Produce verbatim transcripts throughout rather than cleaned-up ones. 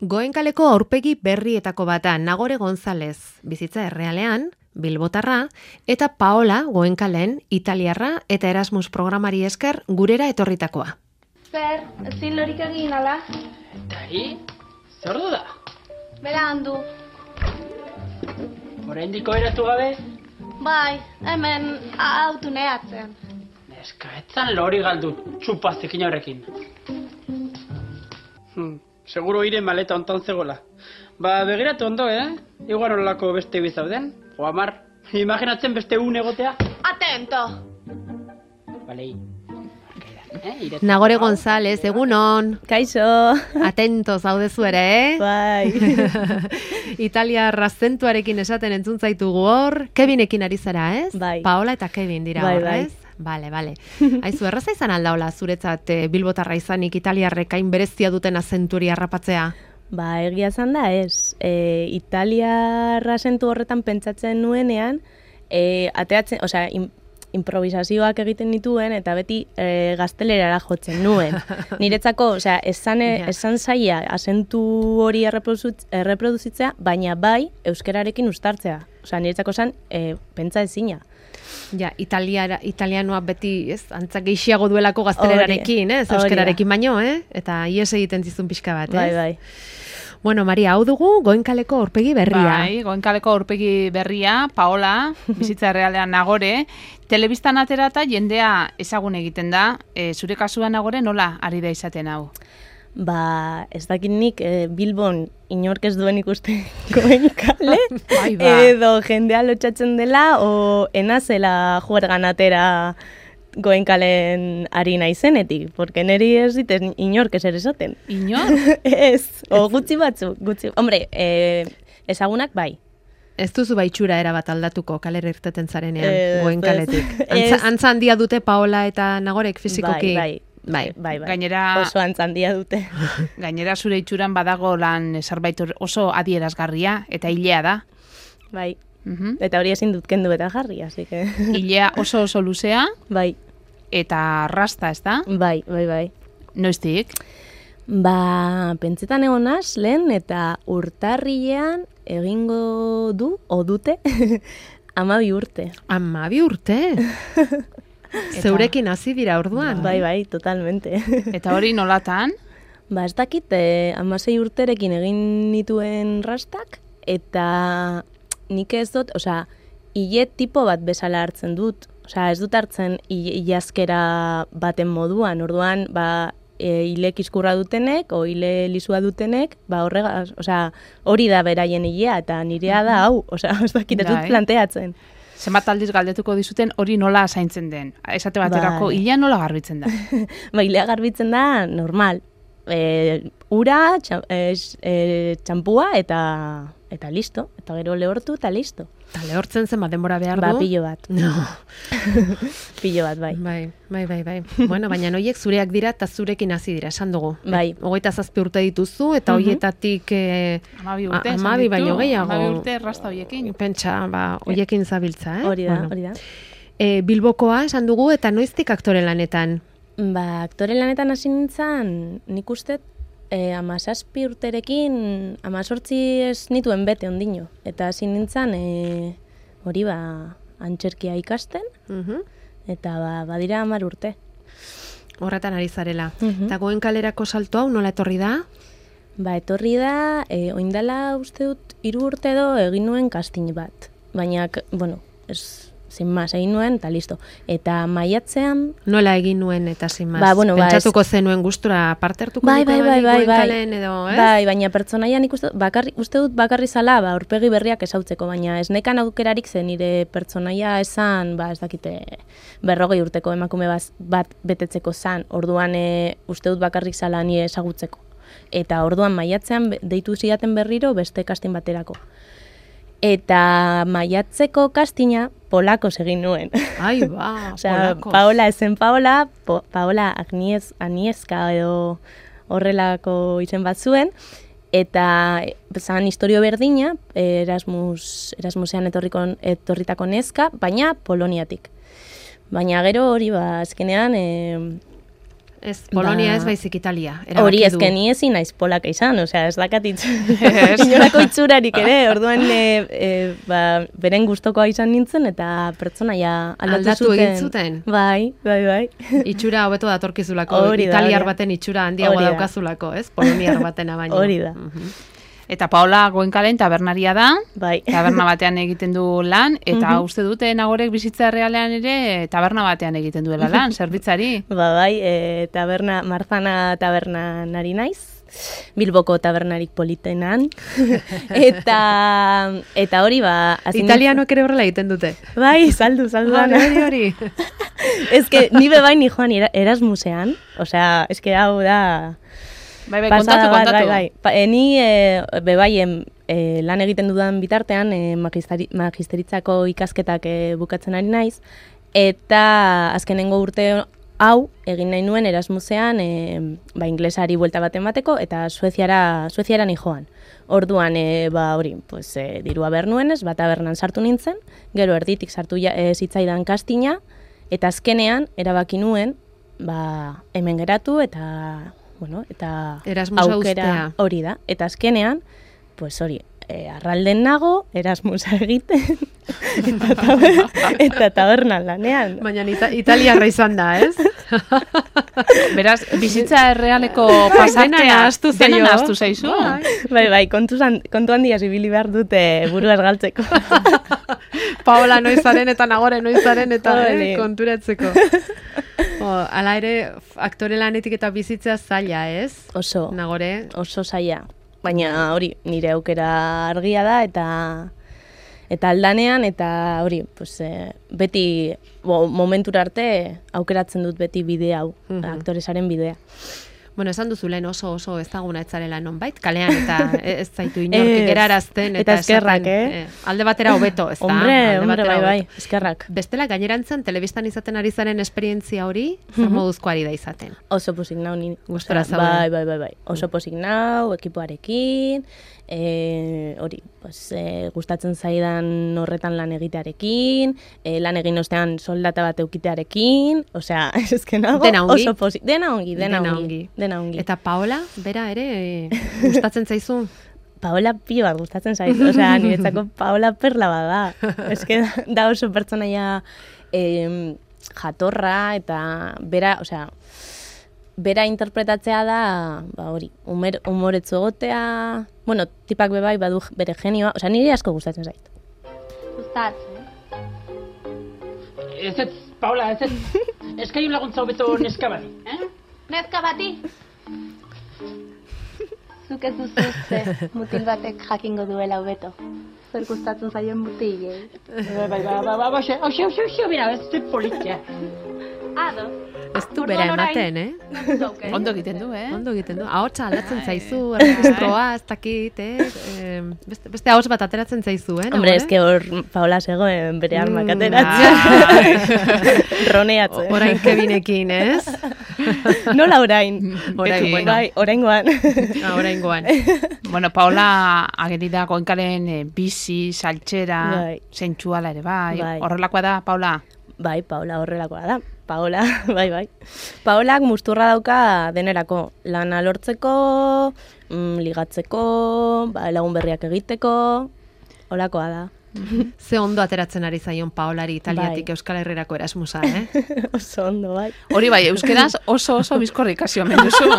Goenkaleko aurpegi berrietako bata Nagore González, bizitza errealean, Bilbotarra, eta Paola Goenkalen, italiarra eta Erasmus programari esker gurera etorritakoa. Zer, ezin lorik egin ala? Eta hi, zer du da? Bera handu. Oraindiko eratu gabe? Bai, hemen autu nehatzen. Neska, etzan lori galdu txupazekin horrekin. Hmm, seguro ire maleta ontan zegoela. Ba, begiratu ondo, eh? Igual horrelako beste bizauden. O amar, imaginatzen beste un egotea? Atento! Balei. Eh, Nagore González, egunon. Kaixo. Atento zaudezu ere, eh? Bai. Italia razentuarekin esaten entzun zaitugu hor. Kevinekin ari zara, ez? Bai. Paola eta Kevin dira bai, hor, bai. ez? Bale, bale. Aizu, erraza izan aldaola zuretzat eh, Bilbotarra izanik italiarrek hain berezia duten azenturi harrapatzea? Ba, egia zan da, ez. E, italiarra zentu horretan pentsatzen nuenean, e, ateatzen, osea, im, improvisazioak egiten dituen, eta beti e, gaztelerara jotzen nuen. Niretzako, osea, esan, Ja. esan zaila azentu hori erreproduzit- erreproduzitzea, baina bai euskerarekin uztartzea. Osea, niretzako zan, e, pentsa ezina. Ja, italiara, italianoa beti, ez, antza gehiago duelako gaztelerarekin, ez, euskerarekin baino, eh? Eta ies egiten zizun pixka bat, ez? Bai, bai. Bueno, Maria, hau dugu Goenkaleko aurpegi berria. Bai, Goenkaleko aurpegi berria, Paola, bizitza errealean Nagore, telebistan aterata jendea ezagun egiten da, e, zure kasuan Nagore nola ari da izaten hau? Ba, ez dakit nik e, Bilbon inork ez duen ikusten Goenkale, Bai, ba. edo jendea lotxatzen dela, o enazela juergan atera Goenkalen ari naizenetik, porque neri ez diten inork ezer esaten. Inor? Ez, o gutxi batzu, gutxi. Hombre, e, ezagunak bai. Ez duzu baitxura erabat aldatuko kalera irteten zarenean, Ez, Goenkaletik. ez. Antza, Ez. antza handia dute Paola eta Nagorek fizikoki. Bai, bai. Bai. Bai, bai. Gainera- Oso antzandia dute. Gainera zure itxuran badago lan zerbait oso adierazgarria eta hilea da. Bai. Mhm. Eta hori ezin dut kendu eta jarri, así que... Hilea oso oso luzea Bai, eta rasta, ez da? bai, bai, bai. Noiztik? Ba, pentsetan egonaz, lehen eta urtarrilean egingo du, o dute, amabi urte. Amabi urte. Zeurekin hasi dira orduan. Bai, bai, totalmente. Eta hori nolatan? Ba, ez dakit, eh, amasei urterekin egin nituen rastak, eta nik ez dut, osea, hile tipo bat bezala hartzen dut. Osea, ez dut hartzen hilazkera baten moduan, orduan, ba, e, hile kiskurra dutenek, o hile lisua dutenek, ba, horregaz, osea, hori da beraien hilea, eta nirea da hau, osea, ez dakit, ez dut Bai. planteatzen. Zenbat aldiz galdetuko dizuten hori nola zaintzen den. Esate baterako, Bai. hilea nola garbitzen da. Ba, hilea garbitzen da, normal. E, ura, txa, e, e, txampua, eta, eta listo. Eta gero lehortu, eta listo. Eta lehortzen zen bat denbora behar du. Ba, pilo bat. No. Pilo bat, bai. Bai, bai, bai, bai. Bueno, baina noiek zureak dira eta zurekin hasi dira, esan dugu. Bai. Hogeita zazpi urte dituzu eta Mhm. hoietatik eh, Amabi urte, a- esan amabi ditu. baino gehiago. Amabi urte rasta hoiekin. Pentsa, ba, hoiekin zabiltza, eh? Hori da, Bueno. hori da. E, Bilbokoa esan dugu eta noiztik aktore lanetan? Ba, aktore lanetan hasi nintzen, nik uste, e, amazazpi urterekin, amazortzi ez nituen bete ondino. Eta hasi nintzen, e, hori ba, antxerkia ikasten, Mhm. eta ba, badira hamar urte. Horretan ari zarela. Mhm. Eta Goenkalerako salto hau nola etorri da? Ba, etorri da, e, oindala uste dut, hiru urte edo egin nuen casting bat. Baina, k- bueno, ez, sin mas, egin nuen, eta listo. Eta maiatzean, Nola egin nuen eta sin mas? Ba, bueno, ba, Pentsatuko zenuen gustura parte hartuko bai, bai, bai, bai, bai, Goenkalen edo, ez? bai, baina pertsonaian ikuste, bakarri, uste dut bakarri zala, ba, aurpegi berriak esautzeko, baina ez nekan aukerarik zen nire pertsonaia esan, ba, ez dakite, berrogei urteko emakume baz, bat betetzeko zan, orduan e, uste dut bakarrik zala nire ezagutzeko. Eta orduan maiatzean be- deitu zidaten berriro beste casting baterako. Eta maiatzeko castinga polakos egin nuen. Ai, ba, Osea, polakos. Paola ezen Paola, po, Paola Agniez, Agnieszka edo horrelako izen bat zuen, eta e, zan historio berdina, Erasmus, Erasmusean etorriko, etorritako neska, baina Poloniatik. Baina gero hori, ba, azkenean, e, Ez, Polonia Ba- ez baizik Italia. Hori erabaki du. ezken ni ezin naiz polaka izan, osea, ez dakat itz. Inolako itxurarik ere, orduan e, e, ba, beren gustokoa izan nintzen eta pertsonaia aldatu, Aldatu zuten. egin zuten? Bai, bai, bai. Itxura hobeto datorkizulako, Hori da, italiar hori da. baten itxura handiagoa Hori da. daukazulako, ez? Poloniar batena baino. Hori da. Mhm. Eta Paola Goenkalen tabernaria da, Bai. taberna batean egiten du lan, eta Mhm. uste dute Nagorek bizitza errealean ere taberna batean egiten duela lan, zerbitzari. Ba, bai, e, taberna, Marzana tabernan ari naiz. Bilboko tabernarik politenan. eta eta hori ba... hasi nintzen- Italianoak ere horrela egiten dute. Bai, saldu, saldu. Hori, dana. hori, hori. Ez que ni bebain ni joan era- Erasmusean, osea, ez que hau da... Bai, bai, pasada kontatu, bat, kontatu. Bai, bai. Pa, e, ni e, bebaien e, lan egiten dudan bitartean e, magisteri, magisteritzako ikasketak e, bukatzen ari naiz, eta azkenengo urte hau egin nahi nuen Erasmusean e, ba, inglesari buelta bat emateko eta Sueziara, Sueziara ni joan. Orduan, e, ba, hori, pues, e, dirua behar nuenez, bat tabernan sartu nintzen, gero erditik sartu ja, e, zitzaidan kastina, eta azkenean erabaki nuen, ba, hemen geratu eta, bueno, eta Erasmusa uztea. hori da. Eta azkenean, pues hori, e, arralden nago, Erasmusa egiten, eta, taber, eta tabernan lanean. Baina ita italiarra izan da, ez? Beraz, bizitza errealeko Dena pasartea nahastu zaio. dena nahastu zaizu. Bai. Bai, bai, kontu, zan, kontu handia zibili behar dute buruaz galtzeko. Paola noizaren eta Nagore noizaren eta Hori. eh, konturatzeko. O, ala ere, aktore lanetik eta bizitzea zaila, ez? Oso, Nagore, oso zaila. Baina hori, nire aukera argia da eta eta aldanean eta hori, pues, e, beti bo, momentura arte aukeratzen dut beti bide hau, Mhm. aktoresaren bidea. bueno, esan duzu lehen oso oso ezaguna etzarela nonbait, kalean eta ez zaitu inork Ez. gerarazten eta, Eta eskerrak, esaten, eh? alde batera hobeto, ez da? Hombre, Alde hombre, batera bai, bai, hobeto. eskerrak. Bestela gainerantzen telebistan izaten ari zaren esperientzia hori, zer moduzko ari da izaten? Oso posik nau ni. Gustora Osea, zaude. Bai, bai, bai, bai. Oso posik nau, ekipoarekin, e, hori, pues, e, gustatzen zaidan horretan lan egitearekin, e, lan egin ostean soldata bat eukitearekin, osea, eske nago Dena ongi? oso posik. Dena ongi, dena, Dena ongi. ongi. Dena ongi. Eta Paola, bera ere, eh, gustatzen zaizu? Paola pilo bat gustatzen zait, osea, niretzako Paola perla bada. Eske da, da oso pertsonaia em, jatorra eta bera, osea, bera interpretatzea da, ba hori, umer, umoretzu egotea, bueno, tipak bebai badu bere genioa, osea, nire asko gustatzen zait. Gustatzen. Ez ez, Paula, ez ez. Eskaiun laguntza hobeto neska bati, eh? Neska bati? Zuk ez duzu uste, mutil batek jakingo duela hobeto. Zer gustatzen zaien mutilei. Bai, bai, bai, bai, bai, hoxe, hoxe, hoxe, hoxe, mira, ez ze politia. Ado. Ez du bera ematen, eh? Ondo egiten du, eh? Ondo egiten du. Ahotsa aldatzen zaizu, erregistroa, ez dakit, eh? Eh, Beste, beste ahots bat ateratzen zaizu, eh? Hombre, Nagore? eske hor Paola zegoen bere armak Mm, ateratzen. Roneatzen. Orain Kevinekin, ez? Nola orain? Orain, Beti. bueno. Bai, oraingoan. Ah, oraingoan. Bueno, Paola ageri da Goenkalen e, bizi, saltxera, Bai. zentsuala ere, bai. Bai. Horrelakoa da, Paola? Bai, Paola horrelakoa da. Paola, bai, bai. Paolak musturra dauka denerako. Lana lortzeko, mm, ligatzeko, ba, lagun berriak egiteko, holakoa da. Ze ondo ateratzen ari zaion Paolari Italiatik Bai. Euskal Herrirako Erasmusa, eh? Oso ondo, bai. Hori bai, euskeraz oso oso bizkorri ikasi omen duzu.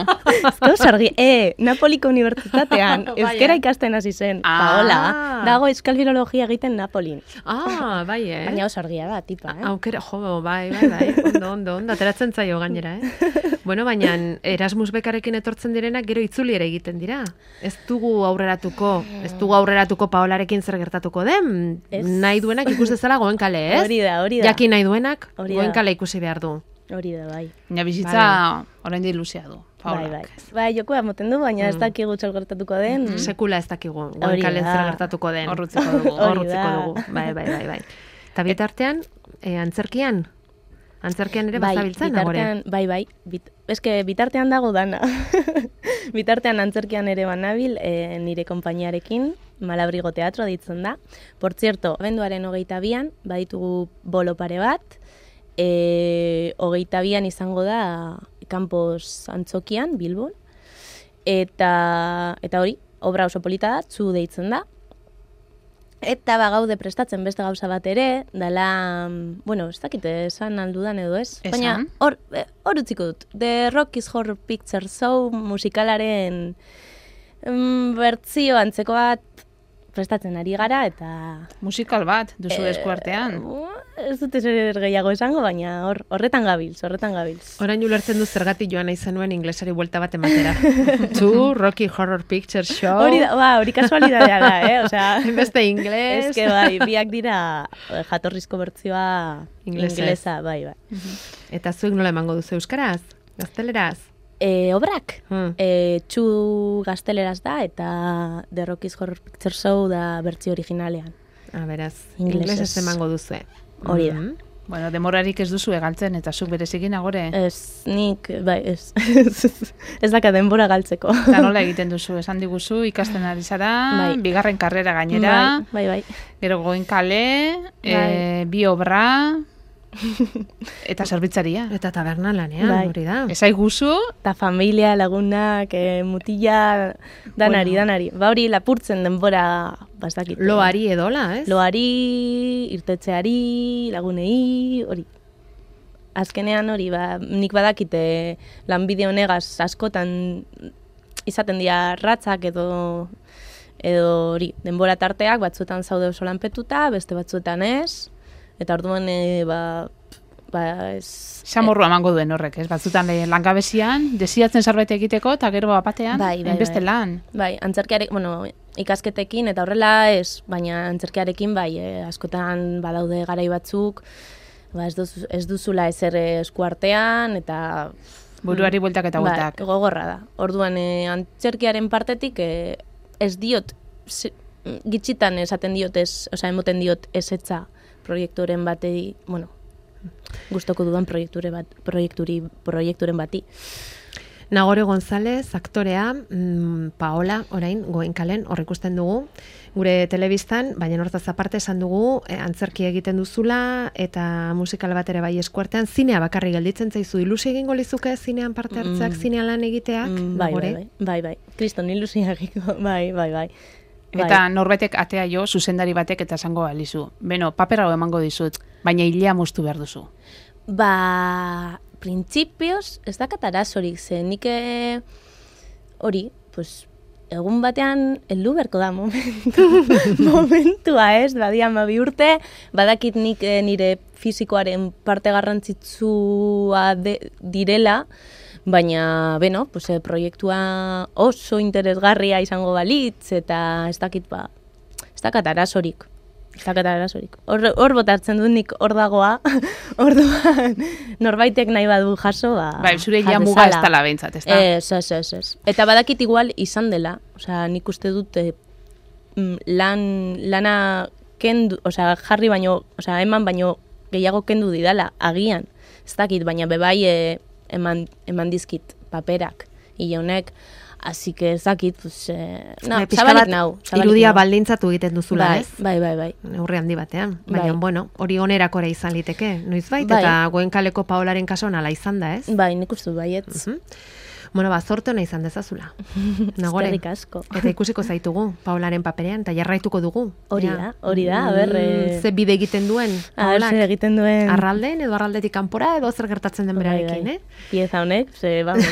Ez sargi, e, Napoliko unibertsitatean, Bai, euskera eh? ikasten hasi zen, Ah. Paola, dago euskal filologia egiten Napolin. Ah, bai, eh? Baina oso argia da, tipa, eh? Aukera, jo, bai, bai, bai, ondo, ondo, ondo, ateratzen zaio gainera, eh? Bueno, baina Erasmus bekarekin etortzen direnak gero itzuli ere egiten dira. Ez dugu aurreratuko, ez dugu aurreratuko Paolarekin zer gertatuko den. Ez. Nahi duenak ikus dezala Goenkale, ez? Hori da, hori da. Jakin nahi duenak Hori da. Goenkale ikusi behar du. Hori da, bai. Baina bizitza orain di luzea du, Paola. Bai, bai. Bai, jokoa moten du, baina ez dakigu txal gertatuko den. Sekula ez dakigu, Hori Goenkalen da. zer gertatuko den. Horrutziko dugu. Hori Horrutziko da. dugu, bai, bai, bai, bai. Eta bitartean, eh, antzerkian? Antzerkian ere bazabiltzen, Nagore? bitartean, bai, bai, bit, eske bitartean dago dana. Bitartean antzerkian ere banabil, e, nire konpainiarekin, Malabrigo Teatro ditzen da. Por cierto, abenduaren hogeita bian, baditugu bolo pare bat, e, hogeita bian izango da Campos Antzokian, Bilbon, eta, eta hori, obra oso polita da, Txu deitzen da, eta ba gaude prestatzen beste gauza bat ere, dela, bueno, ez dakite esan aldudan edo ez, Esan. baina hor, hor utziko dut, The Rockies Horror Picture Show musikalaren mm, bertzio antzeko bat prestatzen ari gara, eta... Musikal bat, duzu eskuartean. Eh, ez dut ezer gehiago esango, baina hor, horretan gabilz, horretan gabilz. Orain ulertzen du zergatik joan nahi zenuen inglesari buelta bat ematera. Two Rocky Horror Picture Show. Hori da, ba, hori kasualidadea da, eh? Osea, Beste ingles. eske bai, biak dira eh, jatorrizko bertzioa Inglesa. inglesa, bai, bai. Eta zuek nola emango duzu euskaraz? Gazteleraz? E, obrak, Hmm. e, Txu gazteleraz da, eta The Rockies Horror Picture Show da bertzio originalean. Ah, beraz, Inglesez. inglesez emango duzue. Hori da. Mhm. Bueno, demorarik ez duzu egaltzen, eta zuk berezikin agore. Ez, nik, bai, ez, ez daka denbora galtzeko. Eta nola egiten duzu, esan diguzu, ikasten ari zara, Bai. bigarren karrera gainera, Bai, bai, bai. gero Goenkale, e, bi obra, eta zerbitzaria. Eta taberna lanean, Bai. hori da. Esai guzu, Eta familia, lagunak, eh, mutila, danari, Bueno. danari. Ba hori lapurtzen denbora, bastakit. Loari edola, ez? Loari, irtetzeari, lagunei, hori. Azkenean hori, ba, nik badakite lanbide honegaz askotan izaten dira ratzak edo edo hori, denbora tarteak batzuetan zaude oso lanpetuta, beste batzuetan ez, eta orduan e, ba, ba ez... xamorrua emango duen horrek, ez? Batzutan eh, langabezian, desiatzen zerbait egiteko, eta gero bapatean, Bai, bai, beste bai. lan. Bai, antzerkiarek, bueno, ikasketekin eta horrela ez, baina antzerkiarekin bai, eh, askotan badaude garai batzuk, ba, ez, duzu, ez duzula ezer eskuartean, eta... Buruari bueltak eta bueltak. Bai, gogorra da. Orduan, eh, antzerkiaren partetik eh, ez diot, zi- gitxitan esaten diot ez, osea, emoten diot ezetza proiekturen batei, bueno, gustoko dudan proiekture bat, proiekturi, proiekturen bati. Nagore González, aktorea, mm, Paola, orain, Goenkalen, hor ikusten dugu, gure telebistan, baina hortaz aparte esan dugu, eh, antzerki egiten duzula, eta musikal bat ere bai eskuartean, zinea bakarri gelditzen zaizu, ilusi egingo lizuke zinean parte hartzeak, Mm. zinean lan egiteak, Mm, bai, bai, Nagore? bai, bai, bai, kriston ilusiagiko, bai, bai, bai. Eta norbaitek atea jo, zuzendari batek eta esango balizu. Beno, paper hau emango dizut, baina hilea moztu behar duzu. Ba, printzipioz, ez dakat arazorik, ze nik eh, hori, pues, egun batean heldu beharko da momentu, momentua ez, badia amabi urte, badakit nik eh, nire fisikoaren parte garrantzitsua de, direla, baina, beno, pues, eh, proiektua oso interesgarria izango balitz, eta ez dakit, ba, ez dakat arazorik. Ez dakat arazorik. Hor, hor botatzen dut nik hor dagoa, orduan norbaitek nahi badu jaso, ba... Bai, zure jas ja muga ez dezala. dala behintzat, ez da? Ez, ez, ez, ez. Eta badakit igual izan dela, osea, nik uste dut eh, mm, lan, lana kendu, osea, jarri baino, osea, eman baino gehiago kendu didala, agian. Ez dakit, baina bebai eh, eman, eman dizkit paperak, hile honek, así que ez dakit, pues, eh, no, Bai, pixka zabalik bat nau. zabalik irudia nau. baldintzatu egiten duzula, Bai, ez? bai, bai, bai. Neurri handi batean. Baina, Bai. bueno, hori onerakora izan liteke, noizbait, Bai. eta Goenkaleko Paolaren kasuan ala izan da, ez? Bai, nik uste dut baietz. Mhm. Bueno, ba, zorte hona izan dezazula. Nagore. Eskerrik asko. Eta ikusiko zaitugu, Paolaren paperean, eta jarraituko dugu. Hori Ea, da, hori da, a ber, mm, eh, Ze bide egiten duen, A ber, Paolak. zer egiten duen... Arralden edo arraldetik kanpora edo zer gertatzen den berarekin, Bai, eh? bai. Pieza honek, ze, vamos,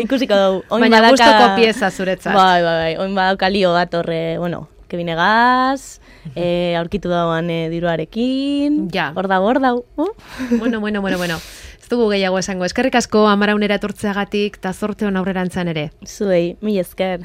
ikusiko dugu. Oin Baina badaka- gustoko pieza zuretzat. Bai, bai, bai, oin badauka lio bat horre, bueno, Kevin Egaz, eh, aurkitu dauan eh, diruarekin, Ja. hor dago, hor dago. Uh? Bueno, bueno, bueno, bueno. Ez dugu gehiago esango. Eskerrik asko amaraunera etortzeagatik, eta zorte hon aurrerantzan ere. Zuei, mil esker.